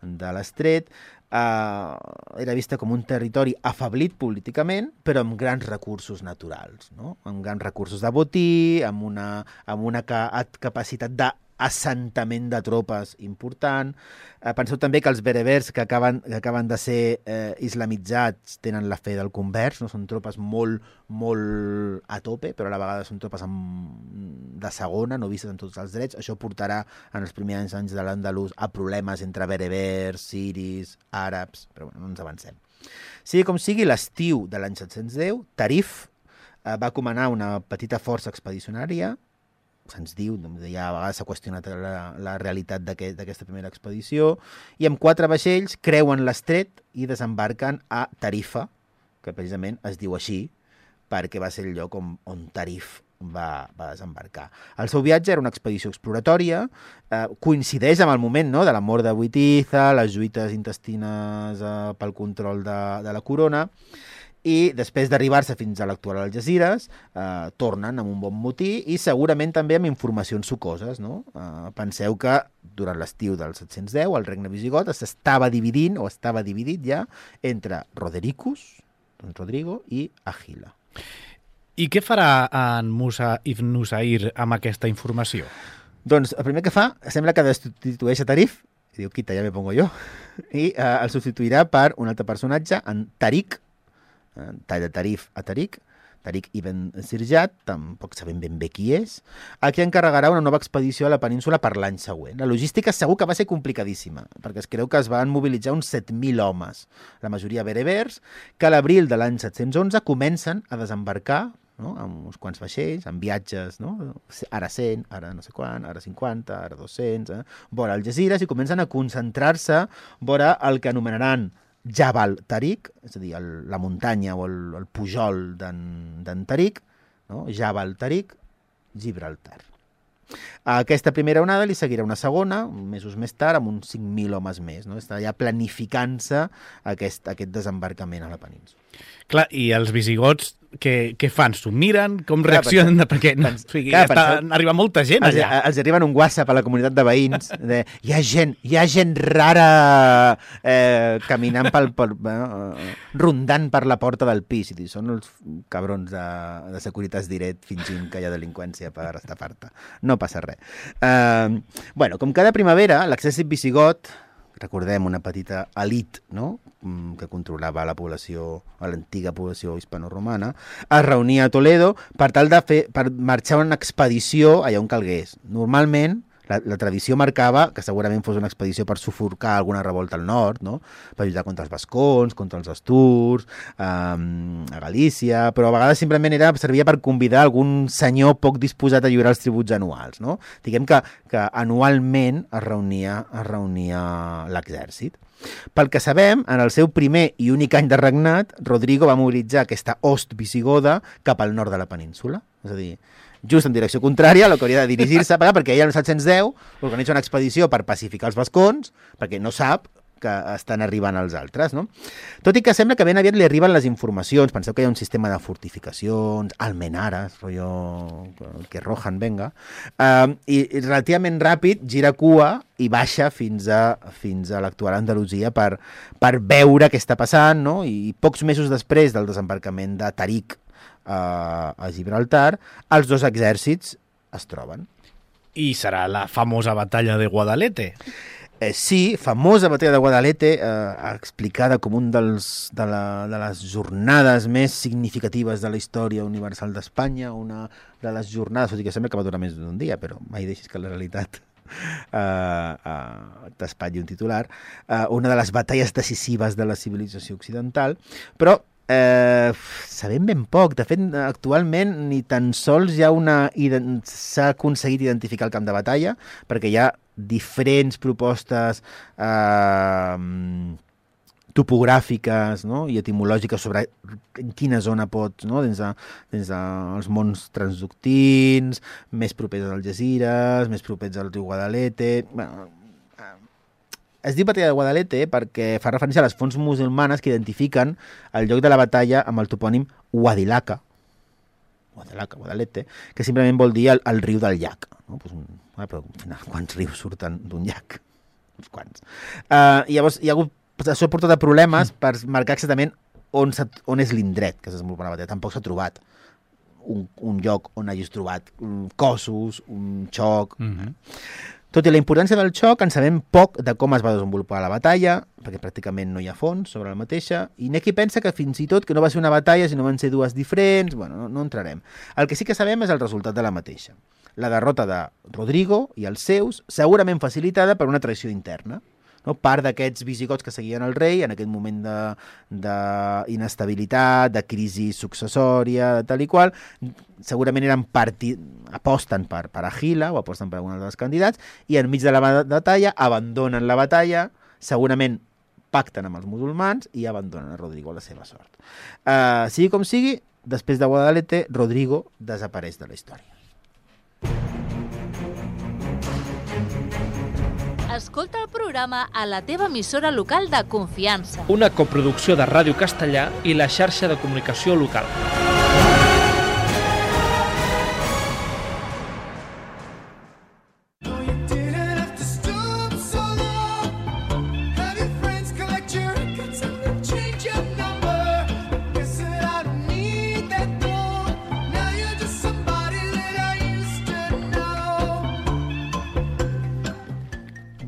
de l'Estret, era vista com un territori afeblit políticament, però amb grans recursos naturals, no? Amb grans recursos de botí, amb una capacitat d'assentament de tropes important. Penseu també que els berebers que acaben de ser islamitzats tenen la fe del convers, no? Són tropes molt a tope, però a la vegada són tropes de segona, no vistes amb tots els drets. Això portarà en els primers anys de l'Andalús a problemes entre berebers, siris, àrabs, però bueno, no ens avancem. Sigui com sigui, l'estiu de l'any 710, Tarif va comanar una petita força expedicionària. Se'ns diu, ja a vegades s'ha qüestionat la realitat d'aquesta primera expedició, i amb 4 vaixells creuen l'estret i desembarquen a Tarifa, que precisament es diu així, perquè va ser el lloc on Tarif va desembarcar. El seu viatge era una expedició exploratòria, coincideix amb el moment, no?, de la mort de Witiza, les lluites intestines pel control de la corona, i després d'arribar-se fins a l'actual Algesires, tornen amb un bon motí i segurament també amb informacions sucoses. No? Penseu que durant l'estiu del 710 el regne visigot estava dividit ja entre Rodrigo i Àgila. I què farà en Musa ibn Nusayr amb aquesta informació? Doncs el primer que fa, sembla que destitueix a Tarif, i diu, quita, ja me pongo jo, i el substituirà per un altre personatge, en Tariq, de Tarif a Tariq ibn Sirjat, tampoc sabem ben bé qui és, a qui encarregarà una nova expedició a la península per l'any següent. La logística segur que va ser complicadíssima, perquè es creu que es van mobilitzar uns 7.000 homes, la majoria berebers, que a l'abril de l'any 711 comencen a desembarcar, no?, amb uns quants vaixells, amb viatges, no?, ara 100, ara no sé quan, ara 50, ara 200, vora Algesires, i comencen a concentrar-se vora el que anomenaran Jabal Tariq, és a dir, la muntanya o el pujol d'en Tariq, no? Jabal Tariq, Gibraltar. A aquesta primera onada li seguirà una segona, mesos més tard, amb uns 5.000 homes més. No? Està ja planificant-se aquest desembarcament a la península. Clar, i els visigots què fan? S'ho miren? Com reaccionen? Perquè arriba molta gent allà. Els arriben un WhatsApp a la comunitat de veïns. Hi ha gent rara caminant rondant per la porta del pis. I són els cabrons de Securitas Direct fingint que hi ha delinqüència per estafar-te. No passa res. Com cada primavera, l'exèrcit visigot, recordem, una petita elit, no?, que controlava l'antiga població hispano-romana, es reunia a Toledo per marxar una expedició allà on calgués. Normalment, la tradició marcava que segurament fos una expedició per sufocar alguna revolta al nord, no?, per lluitar contra els vascons, contra els asturs, a Galícia, però a vegades simplement servia per convidar algun senyor poc disposat a lliurar els tributs anuals. No? Diguem que anualment es reunia l'exèrcit. Pel que sabem, en el seu primer i únic any de regnat, Rodrigo va mobilitzar aquesta host visigoda cap al nord de la península. És a dir, just en direcció contrària a la que hauria de dirigir-se, perquè ell, el 710, organitza una expedició per pacificar els vascons, perquè no sap que estan arribant els altres. No? Tot i que sembla que ben aviat li arriben les informacions. Penseu que hi ha un sistema de fortificacions, almenares, rotllo que rojan, venga, i relativament ràpid gira cua i baixa fins a l'actual Andalusia per veure què està passant, no? I pocs mesos després del desembarcament de Tariq a Gibraltar, els dos exèrcits es troben. I serà la famosa batalla de Guadalete. Sí, famosa batalla de Guadalete, explicada com un de les jornades més significatives de la història universal d'Espanya, una de les jornades, tot i que sembla que va durar més d'un dia, però mai deixis que la realitat t'espatlli un titular, una de les batalles decisives de la civilització occidental, però sabem ben poc. De fet, actualment ni tan sols s'ha aconseguit identificar el camp de batalla, perquè hi ha diferents propostes topogràfiques, no? I etimològiques sobre en quina zona pots, no? Des dels mons transductins, més propers als Algesires, més propers al riu Guadalete... Es diu batalla de Guadalete perquè fa referència a les fonts musulmanes que identifiquen el lloc de la batalla amb el topònim Guadilaca, Guadalete, que simplement vol dir el riu del llac. No? Pues però al final, quants rius surten d'un llac? Uns quants. Llavors, hi ha hagut, això ha portat a problemes per marcar exactament on és l'indret que s'ha desenvolupat la batalla. Tampoc s'ha trobat un lloc on hagis trobat cossos, un xoc... Tot i la importància del xoc, en sabem poc de com es va desenvolupar la batalla, perquè pràcticament no hi ha fons sobre la mateixa, i n'hi ha qui pensa que fins i tot que no va ser una batalla, sinó van ser dues diferents, bueno, no entrarem. El que sí que sabem és el resultat de la mateixa. La derrota de Rodrigo i els seus, segurament facilitada per una traïció interna. No? Part d'aquests visigots que seguien el rei en aquest moment d'inestabilitat, de crisi successòria, de tal i qual, segurament aposten per Àguila o aposten per algun dels candidats i enmig de la batalla abandonen la batalla, segurament pacten amb els musulmans i abandonen a Rodrigo a la seva sort. Sigui com sigui, després de Guadalete, Rodrigo desapareix de la història. Escolta el programa a la teva emissora local de confiança. Una coproducció de Ràdio Castellà i la xarxa de comunicació local.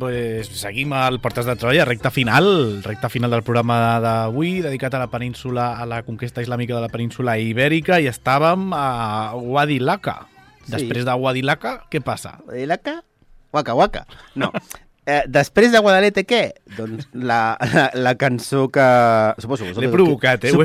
Pues seguim al Portes de Troia, recta final del programa d'avui, dedicat a la península, a la conquesta islàmica de la península ibèrica, i estàvem a Guadilaca. Sí. Després de Guadilaca, què passa? Guadilaca? Waka. No. Després de Guadalete, què? Doncs la cançó que... Suposo, l'he provocat, ho he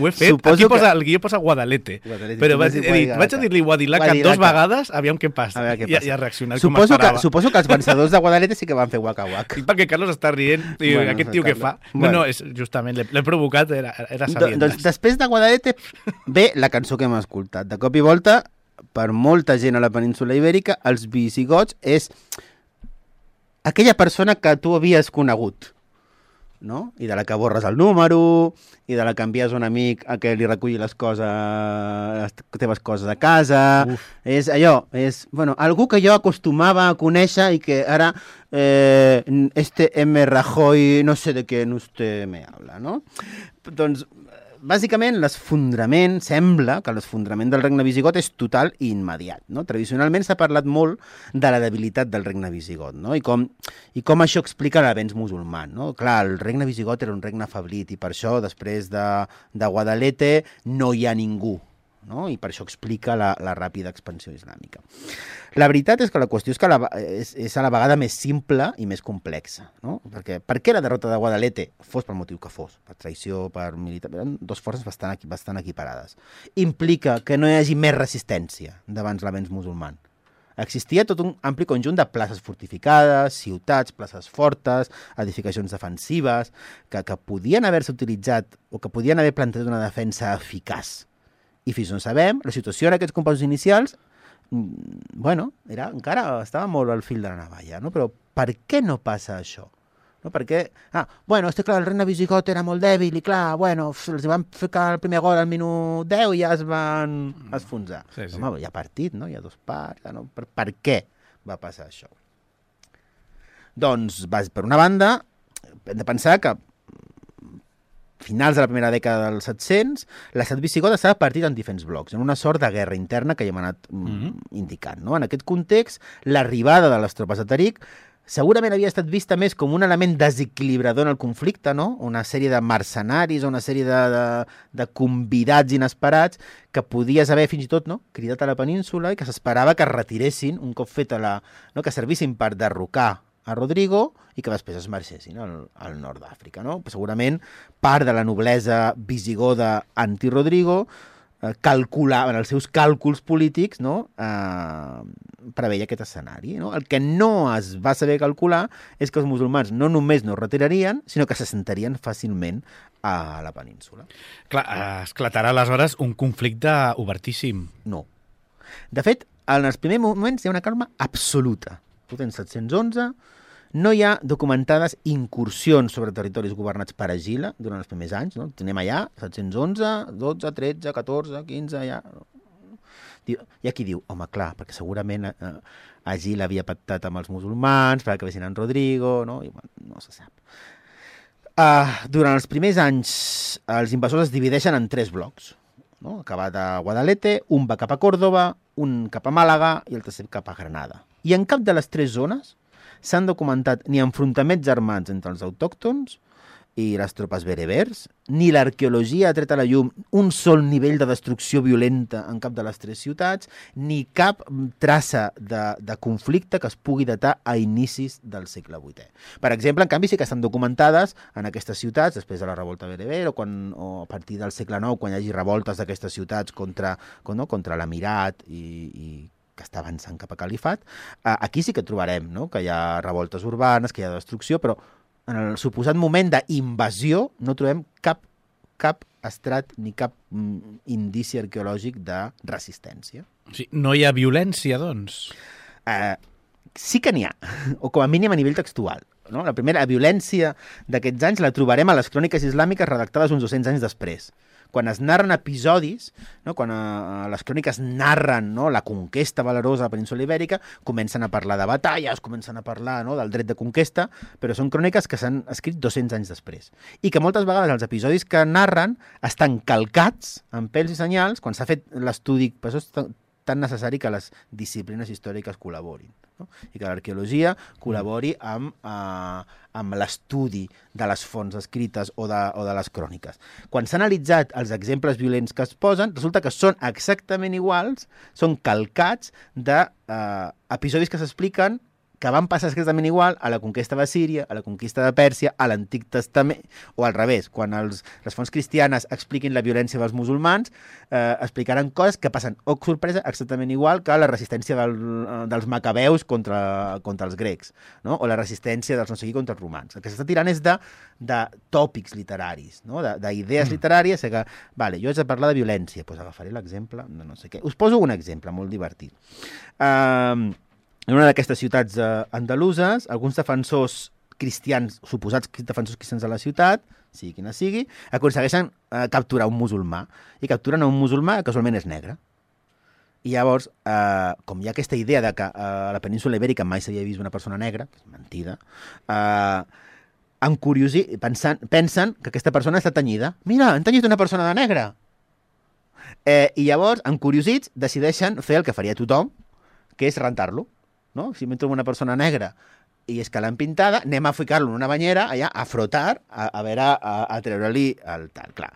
fet. Aquí el guió posa Guadalete. Però vaig a dir-li Guadilaca 2 vegades, aviam què passa. I ha reaccionat com esperava. Suposo que els vencedors de Guadalete sí que van fer Waka. I perquè Carlos està rient, i aquest tio què fa? No, justament, l'he provocat, era sabient. Doncs després de Guadalete ve la cançó que hem escoltat. De cop i volta, per molta gent a la península ibèrica, els visigots és aquella persona que tu havies conegut, no? I de la que borres el número, i de la que envies un amic a que li reculli les teves coses a casa. Uf. És allò, algú que jo acostumava a conèixer i que ara M. Rajoy no sé de què usted me habla, no? Doncs bàsicament, sembla que l'esfondrament del regne visigot és total i immediat. No? Tradicionalment s'ha parlat molt de la debilitat del regne visigot, no? I com això explica l'avenç musulman. No? Clar, el regne visigot era un regne afeblit i per això, després de Guadalete, no hi ha ningú. No? I per això explica la ràpida expansió islàmica. La veritat és que la qüestió és que és a la vegada més simple i més complexa. No? Perquè per què la derrota de Guadalete, fos pel motiu que fos, per traïció, per militar, eren dues forces bastant equiparades. Implica que no hi hagi més resistència davant l'avenç musulman. Existia tot un ampli conjunt de places fortificades, ciutats, places fortes, edificacions defensives, que podien haver-se utilitzat o que podien haver plantat una defensa eficaç. I fins on sabem, la situació en aquests compassos inicials, encara estava molt al fil de la navalla, no? Però per què no passa això? No? Perquè, clar, el regne visigot era molt dèbil i clar, els van ficar el primer gol al minut 10 i ja es van esfonsar. Sí. Home, hi ha partit, no? Hi ha 2 parts, no? Per què va passar això? Doncs, per una banda, hem de pensar que finals de la primera dècada dels 700, l'estat visigot estava partit en diferents blocs, en una sort de guerra interna que ja hem anat indicant. No? En aquest context, l'arribada de les tropes de Tariq segurament havia estat vista més com un element desequilibrador en el conflicte, no? Una sèrie de mercenaris o una sèrie de convidats inesperats que podies haver fins i tot, no?, cridat a la península i que s'esperava que es retiressin un cop fet que servissin per derrocar a Rodrigo i que després es marxessin al nord d'Àfrica, no? Segurament part de la noblesa visigoda anti-Rodrigo calculaven els seus càlculs polítics, no?, preveia aquest escenari, no? El que no es va saber calcular és que els musulmans no només no retirarien, sinó que s'assentarien fàcilment a la península. Clar, esclatarà aleshores un conflicte obertíssim. No. De fet, en els primers moments hi ha una calma absoluta. Tu tens 711, no hi ha documentades incursions sobre territoris governats per Agila durant els primers anys, no? Tenim allà 711, 12, 13, 14, 15, ja... Hi ha qui diu, home, clar, perquè segurament Agila havia pactat amb els musulmans perquè vessin en Rodrigo, no? I, bueno, no se sap. Durant els primers anys, els invasors es divideixen en 3 blocs, no? Acabat a Guadalete, un va cap a Còrdova, un cap a Màlaga i el tercer cap a Granada. I en cap de les 3 zones s'han documentat ni enfrontaments armats entre els autòctons i les tropes berebers, ni l'arqueologia ha tret a la llum un sol nivell de destrucció violenta en cap de les 3 ciutats, ni cap traça de conflicte que es pugui datar a inicis del segle VIII. Per exemple, en canvi, sí que estan documentades en aquestes ciutats, després de la revolta bereber, o a partir del segle IX, quan hi hagi revoltes d'aquestes ciutats contra l'emirat i que està avançant cap a califat. Aquí sí que trobarem, no?, que hi ha revoltes urbanes, que hi ha destrucció, però en el suposat moment d'invasió no trobem cap estrat ni cap indici arqueològic de resistència. O sigui, no hi ha violència, doncs? Sí que n'hi ha, o com a mínim a nivell textual. No? La primera violència d'aquests anys la trobarem a les cròniques islàmiques redactades uns 200 anys després. Quan es narren episodis, no? Quan les cròniques narren, no?, la conquesta valerosa de la península Ibèrica, comencen a parlar de batalles, comencen a parlar, no?, del dret de conquesta, però són cròniques que s'han escrit 200 anys després. I que moltes vegades els episodis que narren estan calcats amb pèls i senyals quan s'ha fet l'estudi. Per això és tan necessari que les disciplines històriques col·laborin, no? I que l'arqueologia col·labori amb l'estudi de les fonts escrites o de les cròniques. Quan s'han analitzat els exemples violents que es posen, resulta que són exactament iguals, són calcats d'episodis que s'expliquen que van passar exactament igual a la conquesta de Síria, a la conquista de Pèrsia, a l'Antic Testament, o al revés, quan les fonts cristianes expliquin la violència dels musulmans, explicaran coses que passen, oh sorpresa, exactament igual que la resistència dels macabeus contra els grecs, no? O la resistència dels no sé qui contra els romans. El que s'està tirant és de tòpics literaris, no? D'idees literàries, que, vale, jo haig de parlar de violència, doncs agafaré l'exemple de no sé què. Us poso un exemple molt divertit. En una d'aquestes ciutats andaluses, alguns defensors cristians, suposats defensors cristians de la ciutat, sigui quina sigui, aconsegueixen capturar un musulmà. I capturen a un musulmà que casualment és negre. I llavors, com hi ha aquesta idea de que a la península Ibèrica mai s'havia vist una persona negra, que és mentida, pensen que aquesta persona està tenyida. Mira, han tenyit una persona de negre! I llavors, encuriosits, decideixen fer el que faria tothom, que és rentar-lo. No? Si m'he trobat una persona negra i és que l'han pintada, anem a ficar-lo en una banyera allà a frotar, a treure-li el tal. Clar.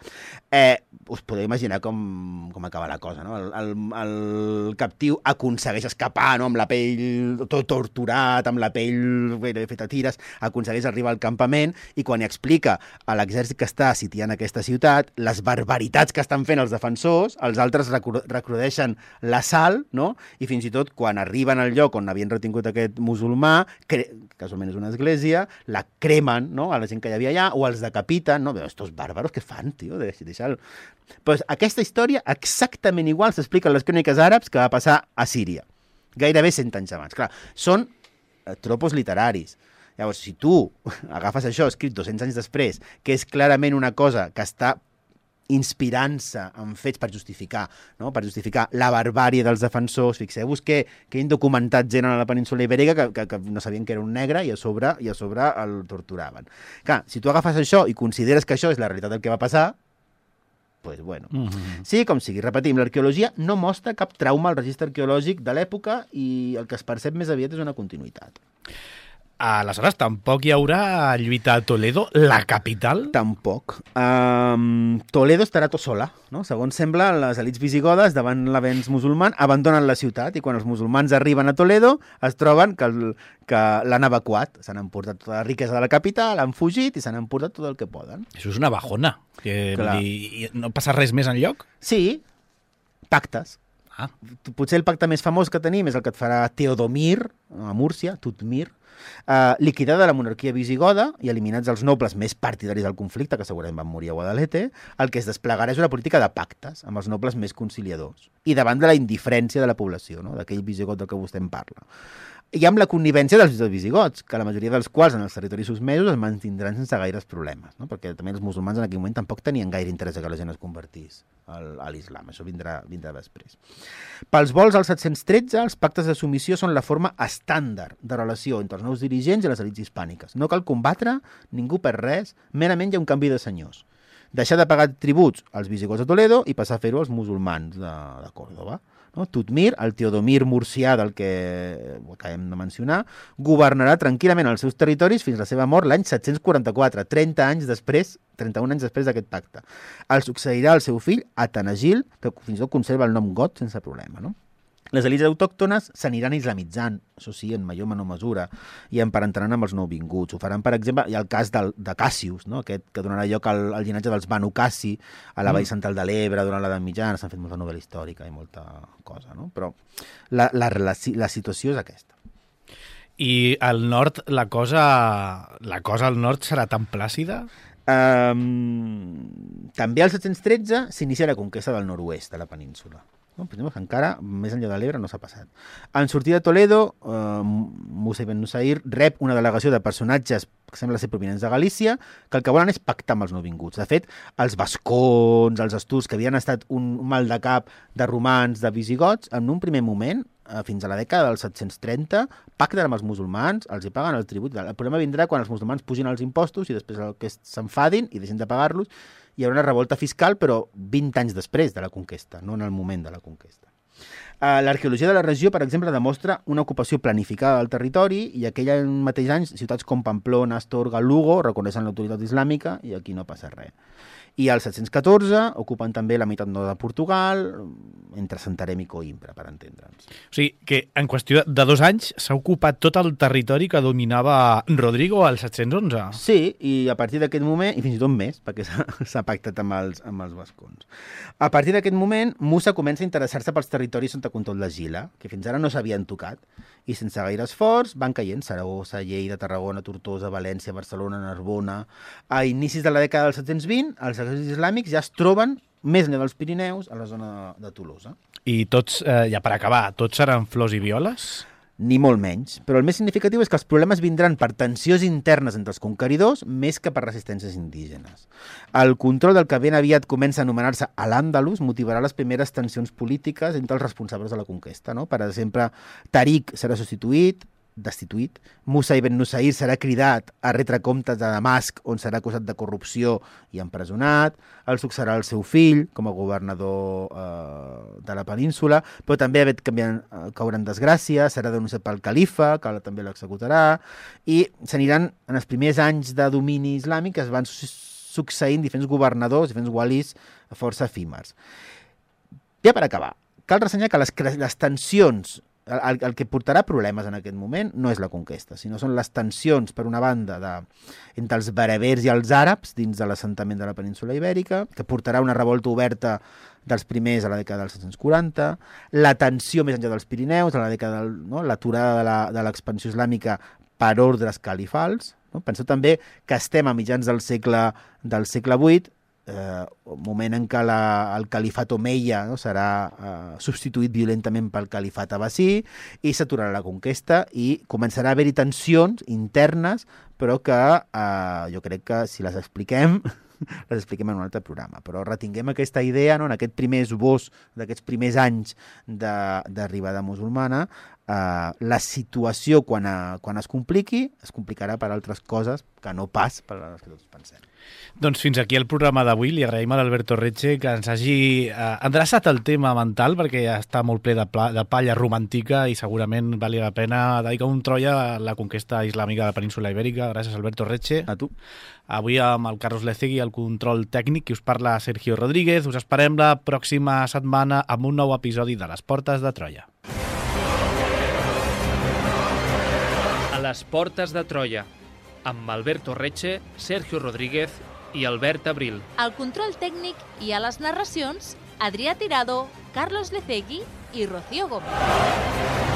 Us podeu imaginar com acaba la cosa, no? El captiu aconsegueix escapar, no?, amb la pell tot torturat, amb la pell feta tires, aconsegueix arribar al campament i quan hi explica a l'exèrcit que està sitiant aquesta ciutat les barbaritats que estan fent els defensors, els altres recrudeixen l'assalt, no? I fins i tot quan arriben al lloc on havien retingut aquest musulmà, casualment és una església, la cremen, no?, a la gent que hi havia allà, o els decapiten, no? Estos bàrbaros, què fan, tio? Deixa'l. Pues aquesta història exactament igual s'explica en les cròniques àrabs que va passar a Síria, gairebé 100 anys abans. Clar, són tropos literaris. Llavors, si tu agafes això escrit 200 anys després, que és clarament una cosa que està inspirant-se en fets per justificar, no?, per justificar la barbàrie dels defensors. Fixeu-vos que han documentat gent a la península Ibèrica que no sabien que era un negre i a sobre el torturaven. Clar, si tu agafes això i consideres que això és la realitat del que va passar, pues bueno. Sí, com sigui, repetim, l'arqueologia no mostra cap trauma al registre arqueològic de l'època i el que es percep més aviat és una continuïtat. Aleshores, tampoc hi haurà lluita a Toledo, la capital? Tampoc. Toledo estarà tot sola, no? Segons sembla, les elits visigodes, davant l'avenç musulman, abandonen la ciutat i quan els musulmans arriben a Toledo es troben que l'han evacuat. S'han emportat tota la riquesa de la capital, han fugit i s'han emportat tot el que poden. Això és una bajona. Vull dir, no passa res més enlloc? Sí, pactes. Potser el pacte més famós que tenim és el que et farà Teodomir, a Múrcia, Tutmir, liquidada la monarquia visigoda i eliminats els nobles més partidaris del conflicte, que segurament van morir a Guadalete, el que es desplegarà és una política de pactes amb els nobles més conciliadors i davant de la indiferència de la població, no? D'aquell visigot del que vostè en parla. I amb la connivència dels visigots, que la majoria dels quals en els territoris susmesos es mantindran sense gaires problemes, no? Perquè també els musulmans en aquell moment tampoc tenien gaire interès que la gent es convertís a l'islam, això vindrà després. Pels vols al 713, els pactes de submissió són la forma estàndard de relació entre els nous dirigents i les elits hispàniques. No cal combatre, ningú per res, merament hi ha un canvi de senyors. Deixar de pagar tributs als visigots de Toledo i passar a fer-ho als musulmans de Còrdova. No? Tutmir, el Teodomir murcià del que acabem de mencionar, governarà tranquil·lament els seus territoris fins a la seva mort l'any 744, 31 anys després d'aquest pacte. El succeirà el seu fill, Atanagil, que fins i tot conserva el nom got sense problema, no? Les elits autòctones s'aniran islamitzant, això sí, en major o menor mesura, i emparentaran amb els nouvinguts. Ho faran, per exemple, hi ha el cas de Cassius, no? Aquest que donarà lloc al llinatge dels Banu Cassi, a la Vall Central de l'Ebre, durant l'edat mitjana, s'han fet molta novel·la històrica i molta cosa, no? Però la situació és aquesta. I al nord, la cosa al nord serà tan plàcida? També al 713 s'inicia la conquesta del nord-oest de la península. No, però encara, més enllà de l'Ebre, no s'ha passat. En sortir de Toledo, Musa ibn Nusair rep una delegació de personatges que sembla ser provinents de Galícia, que el que volen és pactar amb els nouvinguts. De fet, els vascons, els asturs, que havien estat un mal de cap de romans, de visigots, en un primer moment, fins a la dècada del 730, pacten amb els musulmans, els hi paguen el tribut. El problema vindrà quan els musulmans pugin els impostos i després que s'enfadin i deixin de pagar-los. Hi haurà una revolta fiscal, però 20 anys després de la conquesta, no en el moment de la conquesta. L'arqueologia de la regió, per exemple, demostra una ocupació planificada del territori i aquell mateix any ciutats com Pamplona, Astorga, Lugo reconeixen l'autoritat islàmica i aquí no passa res. I al 714 ocupen també la meitat nord de Portugal, entre Santarém i Coïmbra, per entendre'ns. O sigui, que en qüestió de 2 anys s'ha ocupat tot el territori que dominava Rodrigo al 711. Sí, i a partir d'aquest moment, i fins i tot més, perquè s'ha pactat amb els vascons. A partir d'aquest moment, Musa comença a interessar-se pels territoris sota control de Gila, que fins ara no s'havien tocat, i sense gaire esforç van caient Saragossa, Lleida, Tarragona, Tortosa, València, Barcelona, Narbona. A inicis de la dècada del 720, els exèrcits islàmics ja es troben més enllà dels Pirineus, a la zona de Tolosa. I tots, ja per acabar, tots seran flors i violes? Ni molt menys. Però el més significatiu és que els problemes vindran per tensions internes entre els conqueridors més que per resistències indígenes. El control del que ben aviat comença a anomenar-se Al-Àndalus motivarà les primeres tensions polítiques entre els responsables de la conquesta. No? Per exemple, Tariq serà destituït, Musa ibn Nusair serà cridat a retre comptes de Damasc, on serà acusat de corrupció i empresonat, el succeirà el seu fill com a governador de la península, però també caurà en desgràcia, serà denunciat pel califa, que també l'executarà, i s'aniran, en els primers anys de domini islàmic, es van succeint diferents governadors, diferents walis força efímers. Ja per acabar, cal ressenyar que les tensions, el que portarà problemes en aquest moment no és la conquesta, sinó són les tensions, per una banda, entre els berebers i els àrabs dins de l'assentament de la península ibèrica, que portarà una revolta oberta dels primers a la dècada dels 740, la tensió més enllà dels Pirineus, a la dècada l'aturada de l'expansió islàmica per ordres califals. No? Penseu també que estem a mitjans del segle VIII, moment en què el califat omeia serà substituït violentament pel califat abbasí i s'aturarà la conquesta i començarà a haver-hi tensions internes però que jo crec que si les expliquem en un altre programa. Però retinguem aquesta idea, no? En aquest primer esbós d'aquests primers anys d'arribada musulmana, la situació quan es complicarà per altres coses que no pas per les que tots pensem. Doncs fins aquí el programa d'avui. Li agraïm a l'Alberto Retxe que ens hagi endreçat el tema mental, perquè ja està molt ple de palla romàntica i segurament valia la pena dedicar un Troia a la conquesta islàmica de la península Ibèrica. Gràcies, Alberto Retxe. A tu. Avui amb el Carlos Lecegui, el control tècnic, qui us parla Sergio Rodríguez. Us esperem la pròxima setmana amb un nou episodi de Les Portes de Troia. A les Portes de Troia, amb Alberto Retxe, Sergio Rodríguez i Albert Abril. Al control tècnic i a les narracions, Adrià Tirado, Carlos Lecegui i Rocío Gómez.